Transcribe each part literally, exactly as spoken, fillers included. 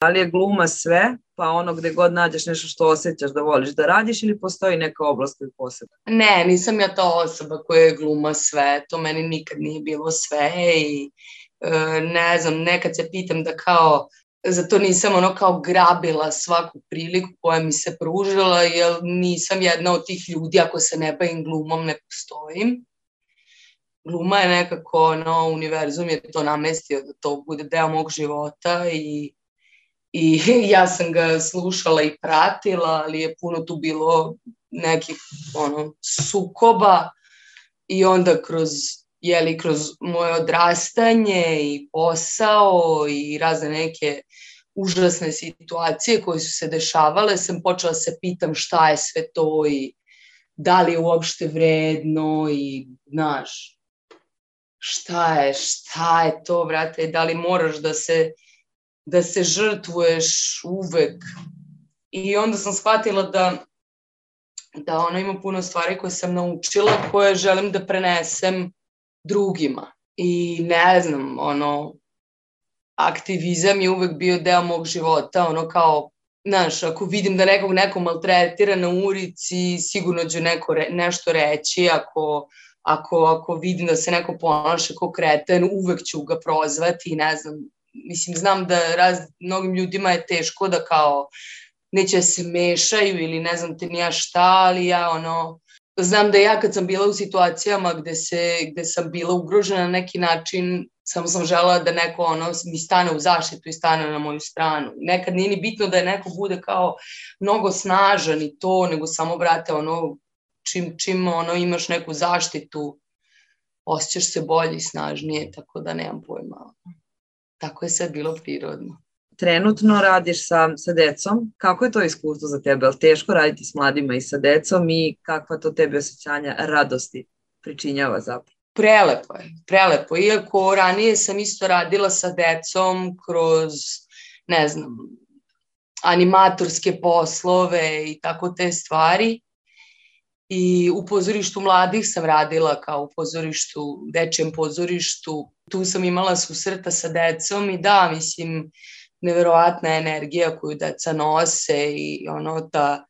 Da li je gluma sve, pa ono gde god nađeš nešto što osjećaš da voliš da radiš ili postoji neka oblast koju posebno? Ne, nisam ja ta osoba koja je gluma sve, to meni nikad nije bilo sve i e, ne znam, nekad se pitam da kao, zato nisam ono kao grabila svaku priliku koja mi se pružila, jer nisam jedna od tih ljudi, ako se ne bavim glumom ne postojim. Gluma je nekako, ono, univerzum je to namestio da to bude deo mog života i I ja sam ga slušala i pratila, ali je puno tu bilo nekih ono, sukoba i onda kroz, jeli, kroz moje odrastanje i posao i razne neke užasne situacije koje su se dešavale, sam počela se pitam šta je sve to i da li je uopšte vredno i znaš, šta je, šta je to, brate, da li moraš da se da se žrtvuješ uvek. I onda sam shvatila da, da ono ima puno stvari koje sam naučila, koje želim da prenesem drugima. I ne znam, ono, aktivizam je uvek bio deo mog života, ono kao, znaš, ako vidim da nekog neko maltretira na ulici, sigurno ću neko re, nešto reći, ako, ako, ako vidim da se neko ponaša kao kreten, uvek ću ga prozvati, ne znam, mislim, znam da raz, mnogim ljudima je teško da kao neće da se mešaju ili ne znam te nija šta, ali ja ono, znam da ja kad sam bila u situacijama gde, se, gde sam bila ugrožena na neki način, samo sam želela da neko ono, mi stane u zaštitu i stane na moju stranu. Nekad nije ni bitno da je neko bude kao mnogo snažan i to, nego samo, brate, ono, čim, čim ono, imaš neku zaštitu, osjećaš se bolje i snažnije, tako da nemam pojma. Tako je sve bilo prirodno. Trenutno radiš sa, sa decom. Kako je to iskustvo za tebe? Je li teško raditi s mladima i sa decom i kakva to tebi osjećanja radosti pričinjava zapravo? Prelepo je, prelepo. Iako ranije sam isto radila sa decom kroz, ne znam, animatorske poslove i tako te stvari. I u pozorištu mladih sam radila kao u pozorištu, dečijem pozorištu. Tu sam imala susreta sa decom i da, mislim, neverovatna energija koju deca nose i ono ta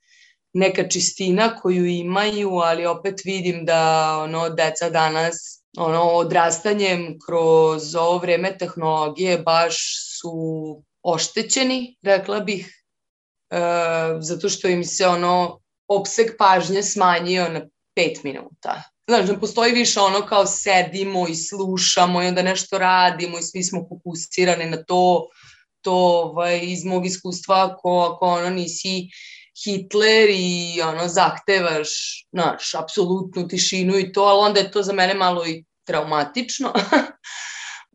neka čistina koju imaju, ali opet vidim da ono deca danas ono odrastanjem kroz ovo vreme tehnologije baš su oštećeni, rekla bih, e, zato što im se ono opseg pažnje smanjio na pet minuta. Znaš, ne postoji više ono kao sedimo i slušamo i onda nešto radimo i svi smo fokusirani na to. To ovaj, iz mog iskustva, ako, ako ono nisi Hitler i ono zahtevaš, znaš, apsolutnu tišinu i to, ali onda je to za mene malo i traumatično.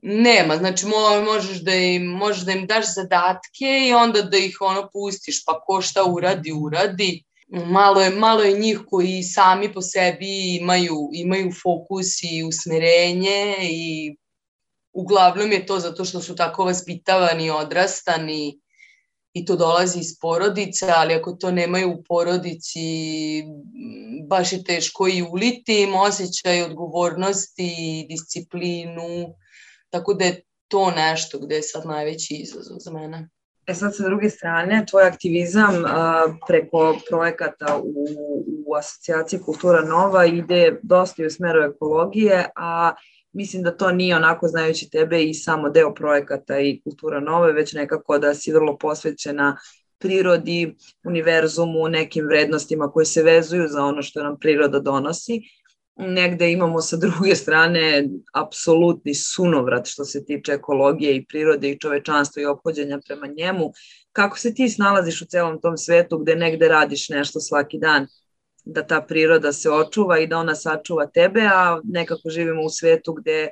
Nema, znači možeš da, im, možeš da im daš zadatke i onda da ih ono pustiš, pa ko šta uradi, uradi. Malo je, malo je njih koji sami po sebi imaju, imaju fokus i usmerenje i uglavnom je to zato što su tako vaspitavani, odrastani i to dolazi iz porodice, ali ako to nemaju u porodici, baš je teško i uliti im osjećaj odgovornosti, disciplinu, tako da je to nešto gde je sad najveći izazov za mene. E sad, sa druge strane, tvoj aktivizam a, preko projekata u, u asocijaciji Kultura Nova ide dosta u smeru ekologije, a mislim da to nije onako, znajući tebe, i samo deo projekata i Kultura Nove, već nekako da si vrlo posvećena prirodi, univerzumu, nekim vrednostima koje se vezuju za ono što nam priroda donosi. Negde imamo sa druge strane apsolutni sunovrat što se tiče ekologije i prirode i čovečanstva i ophođenja prema njemu. Kako se ti snalaziš u celom tom svetu gde negde radiš nešto svaki dan da ta priroda se očuva i da ona sačuva tebe, a nekako živimo u svetu gde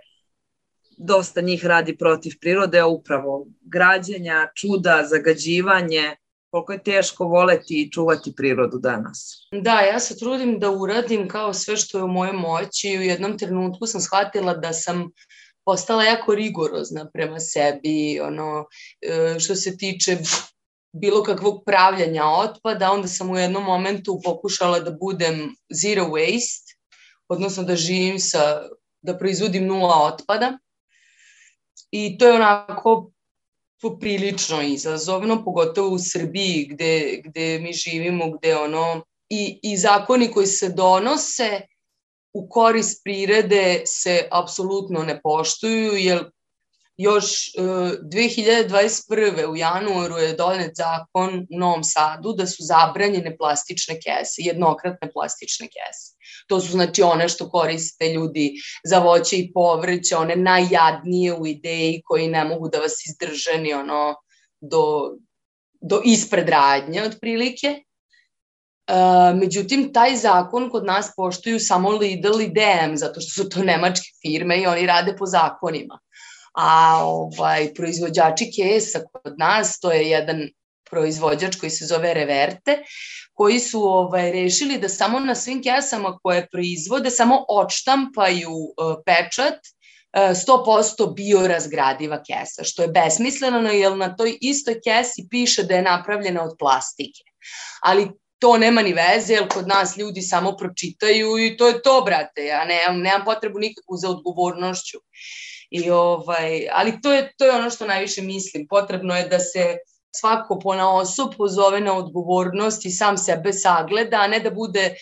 dosta njih radi protiv prirode, a upravo građenja, čuda, zagađivanje, koliko je teško voleti i čuvati prirodu danas. Da, ja se trudim da uradim kao sve što je u mojoj moći i u jednom trenutku sam shvatila da sam postala jako rigorozna prema sebi, ono, što se tiče bilo kakvog pravljanja otpada, onda sam u jednom momentu pokušala da budem zero waste, odnosno da živim sa, da proizvodim nula otpada. I to je onako poprilično izazovno, pogotovo u Srbiji gde, gde mi živimo, gde ono, i, i zakoni koji se donose u korist prirode se apsolutno ne poštuju, jer još uh, dve hiljade dvadeset prve u januaru je donet zakon u Novom Sadu da su zabranjene plastične kese, jednokratne plastične kese. To su znači one što koriste ljudi za voće i povrće, one najjadnije u ideji koji ne mogu da vas izdrže ni ono do, do ispred radnje otprilike. Uh, međutim, taj zakon kod nas poštuju samo Lidl i D M, zato što su to nemačke firme i oni rade po zakonima. A ovaj, proizvođači kesa kod nas, to je jedan proizvođač koji se zove Reverte, koji su ovaj, rešili da samo na svim kesama koje proizvode samo odštampaju uh, pečat uh, sto posto biorazgradiva kesa, što je besmisleno, jer na toj istoj kesi piše da je napravljena od plastike. Ali to nema ni veze, jer kod nas ljudi samo pročitaju i to je to, brate, ja nemam, nemam potrebu nikakvu za odgovornošću. I ovaj, ali to je, to je ono što najviše mislim. Potrebno je da se svako ponaosob pozove na odgovornost i sam sebe sagleda, a ne da bude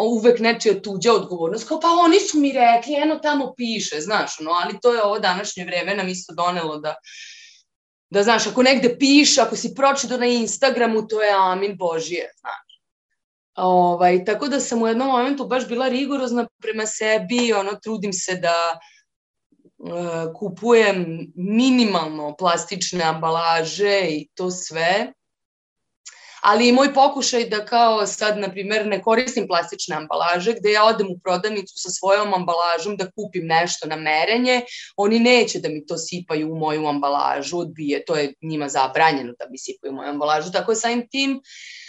uvek nečija tuđa odgovornost. Kao pa oni su mi rekli, eno tamo piše, znaš, no, ali to je ovo današnje vreme nam isto donelo da, da znaš, ako negde piše, ako si pročitao na Instagramu, to je amin Božije, znaš. Ovaj, tako da sam u jednom momentu baš bila rigorozna prema sebi, ono, trudim se da kupujem minimalno plastične ambalaže i to sve, ali i moj pokušaj da kao sad, na primjer, ne koristim plastične ambalaže, gde ja odem u prodavnicu sa svojom ambalažom da kupim nešto na merenje, oni neće da mi to sipaju u moju ambalažu, odbije, to je njima zabranjeno da mi sipaju u moju ambalažu, tako samim tim,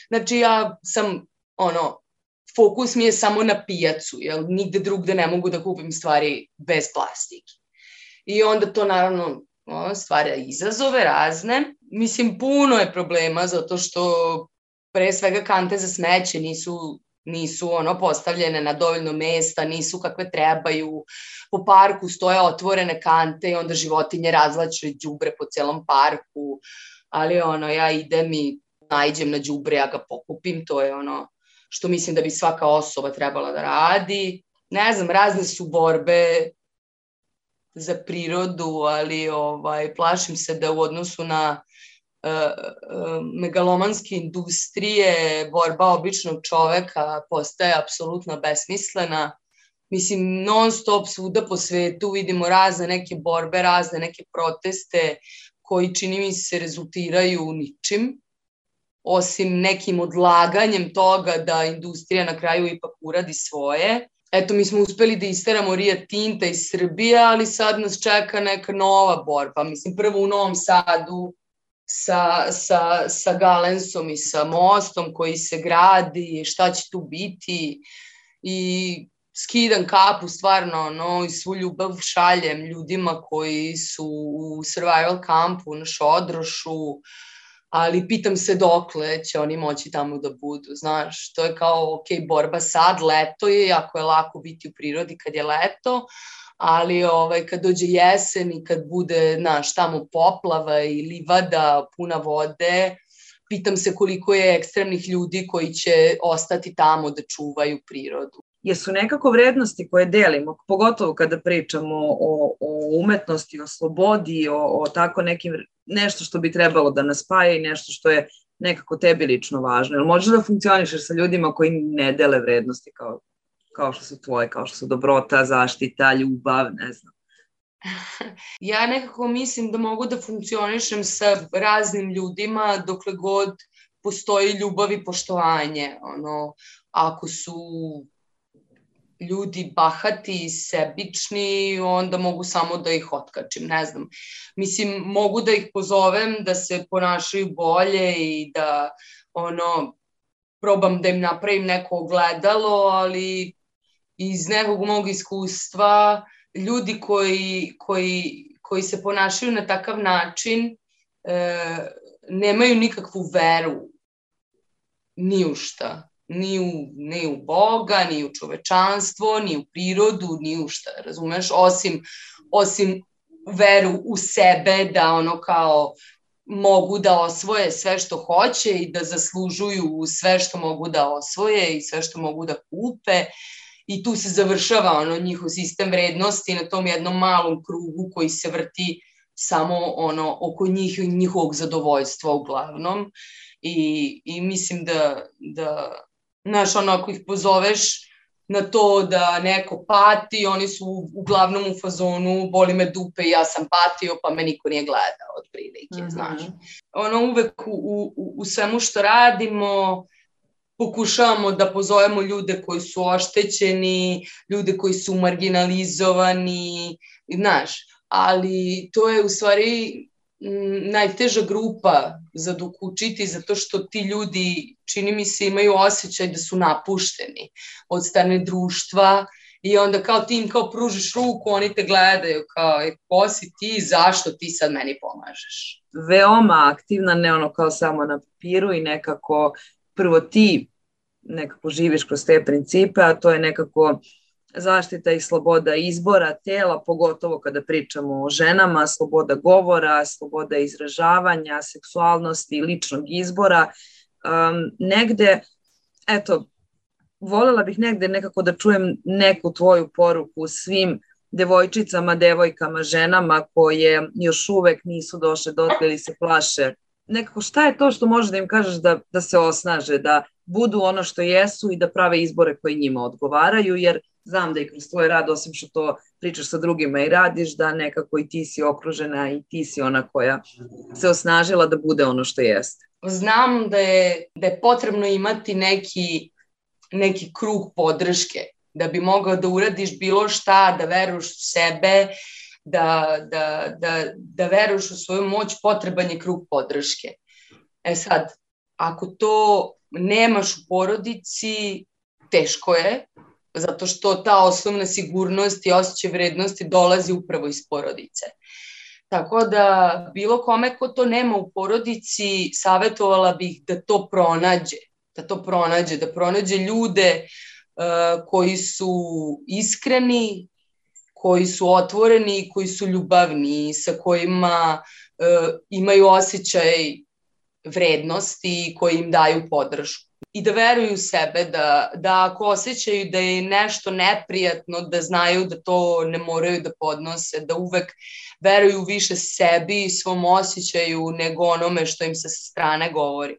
znači ja sam, ono, fokus mi je samo na pijacu, jer nigde drugde ne mogu da kupim stvari bez plastike. I onda to naravno stvara izazove razne. Mislim, puno je problema zato što pre svega kante za smeće nisu, nisu ono postavljene na dovoljno mesta, nisu kakve trebaju. Po parku stoje otvorene kante i onda životinje razvlače đubre po celom parku. Ali ono, ja idem i naiđem na đubre, ja ga pokupim, to je ono što mislim da bi svaka osoba trebala da radi. Ne znam, razne su borbe za prirodu, ali ovaj, plašim se da u odnosu na uh, uh, megalomanske industrije borba običnog čoveka postaje apsolutno besmislena. Mislim, non stop svuda po svetu vidimo razne neke borbe, razne neke proteste koji čini mi se rezultiraju ničim, osim nekim odlaganjem toga da industrija na kraju ipak uradi svoje. Eto, mi smo uspeli da isteramo Rio Tinta iz Srbije, ali sad nas čeka neka nova borba. Mislim, prvo u Novom Sadu sa, sa, sa Galensom i sa mostom koji se gradi, šta će tu biti. I skidam kapu, stvarno, no, i svu ljubav šaljem ljudima koji su u survival kampu na Šodrošu, ali pitam se dokle će oni moći tamo da budu, znaš, to je kao, ok, borba sad, leto je, jako je lako biti u prirodi kad je leto, ali ovaj, kad dođe jesen i kad bude, znaš, tamo poplava i livada puna vode, pitam se koliko je ekstremnih ljudi koji će ostati tamo da čuvaju prirodu. Jesu nekako vrednosti koje delimo, pogotovo kada pričamo o, o umetnosti, o slobodi, o, o tako nekim, nešto što bi trebalo da nas spaja i nešto što je nekako tebi lično važno. Jel možeš da funkcionišeš sa ljudima koji ne dele vrednosti kao, kao što su tvoje, kao što su dobrota, zaštita, ljubav, ne znam? Ja nekako mislim da mogu da funkcionišem sa raznim ljudima dokle god postoji ljubav i poštovanje. Ono, ako su ljudi bahati i sebični, onda mogu samo da ih otkačim, ne znam. Mislim, mogu da ih pozovem da se ponašaju bolje i da, ono, probam da im napravim neko ogledalo, ali iz nekog mog iskustva, ljudi koji, koji, koji se ponašaju na takav način e, nemaju nikakvu veru ni u šta. Ni u, ni u Boga, ni u čovečanstvo, ni u prirodu, ni u šta, razumeš, osim, osim veru u sebe da ono kao mogu da osvoje sve što hoće i da zaslužuju sve što mogu da osvoje i sve što mogu da kupe. I tu se završava ono njihov sistem vrednosti na tom jednom malom krugu koji se vrti samo ono oko njih i njihovog zadovoljstva uglavnom. I, i mislim da, da znaš, ono, ako ih pozoveš na to da neko pati, oni su uglavnom u fazonu boli me dupe i ja sam patio pa me niko nije gledao od prilike, mm-hmm. znaš. Ono uvek u, u, u svemu što radimo pokušavamo da pozovemo ljude koji su oštećeni, ljude koji su marginalizovani, znaš, ali to je u stvari m, najteža grupa za dok učiti, zato što ti ljudi, čini mi se, imaju osjećaj da su napušteni od strane društva i onda kao ti im kao pružiš ruku, oni te gledaju kao, e, ko si ti, zašto ti sad meni pomažeš? Veoma aktivna, ne ono kao samo na papiru i nekako prvo ti nekako živiš kroz te principe, a to je nekako zaštita i sloboda izbora tela, pogotovo kada pričamo o ženama, sloboda govora, sloboda izražavanja, seksualnosti i ličnog izbora. Um, negde, eto, voljela bih negde nekako da čujem neku tvoju poruku svim devojčicama, devojkama, ženama koje još uvek nisu došle dotle ili se plaše. Nekako šta je to što možeš da im kažeš da, da se osnaže, da budu ono što jesu i da prave izbore koji njima odgovaraju, jer znam da i kroz tvoj rad, osim što to pričaš sa drugima i radiš, da nekako i ti si okružena i ti si ona koja se osnažila da bude ono što jeste. Znam da je, da je potrebno imati neki, neki krug podrške, da bi mogao da uradiš bilo šta, da veruješ u sebe, da, da, da, da veruješ u svoju moć, potreban je krug podrške. E sad, ako to nemaš u porodici, teško je, zato što ta osnovna sigurnost i osjećaj vrednosti dolazi upravo iz porodice. Tako da bilo kome ko to nema u porodici, savjetovala bih da to pronađe, da to pronađe, da pronađe ljude uh, koji su iskreni, koji su otvoreni, koji su ljubavni, sa kojima uh, imaju osjećaj vrednosti i koji im daju podršku. I da veruju u sebe, da, da ako osjećaju da je nešto neprijatno, da znaju da to ne moraju da podnose, da uvek veruju više sebi i svom osjećaju nego onome što im se sa strane govori.